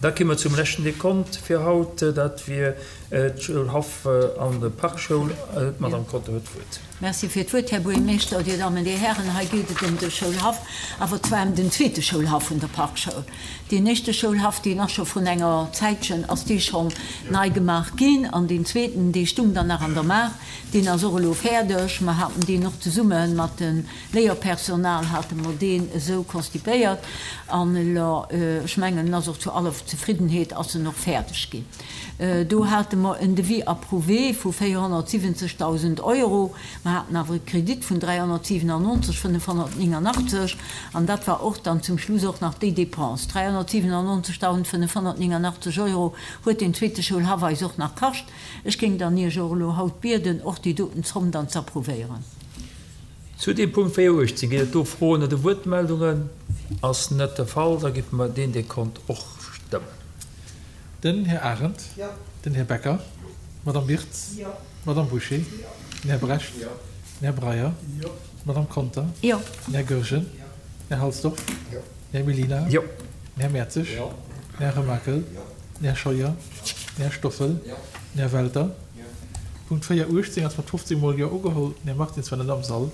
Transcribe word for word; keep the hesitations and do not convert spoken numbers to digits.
Da komme mer zum leschten Dekont fir haut, dat wier d'Schoulhaff an der Parkschoul. D'Madame Conter huet d'Wuert. Merci fir d'Wuert, Här Buergermeeschter, Dir Dammen, Dir Hären. Hei geet et ëm de Schoulhaff, awer zwar ëm den zweete Schoulhaff vun der Parkschoul. Deen éischte Schoulhaff, deen ass scho vrun enger Zäitchen, ass dee schonn nei gemaach ginn. An deen zweeten, dee stung dann nach an der Maach, deen ass och elo fäerdeg. Mer haten deen och zesumme mat dem Léierpersonal hate mer deen esou konstipéiert. An elo, ech mengen, en ass och zu aller Zefriddenheet ass en och fäerdeg ginn. Do hate mer en Devis approuvé vu véierhonnertsiwwenzegdausend Euro. Mer haten awer e Kredit vun dräihonnertsiwenannonzeg fënnefhonnertnéngannachtzeg an dat war och dann zum Schluss och nach déi Dépense. dräihonnertsiwenannonzegdausendfënnefhonnertnéngannachtzeg Euro huet deen zweete Schoulhaff eis och nach kascht. Ech géing dann Iech och elo haut bieden, och déi doten Zomm dann ze approuvéieren. Zu deem Punkt véier uechtzéng, ginn et do Froen oder Wuertmeldungen? Ass net de Fall, da géife mer deen Dekont och stëmmen. Den Här Arendt. Den Här Becker. D'Madame Wirtz. D'Madame Bouché. Den Här Brecht. Den Här Breyer. D'Madame Conter. Den Här Goergen. Den Här Halsdorf. Den Här Mellina. Den Här Mertzig. Den Här Remakel. Den Här Scheuer. Den Här Stoffel. Den Här Welter. Punkt véier uechtzéng ass mat fofzéng Mol Jo ugeholl. Den Här Martins war net am Sall.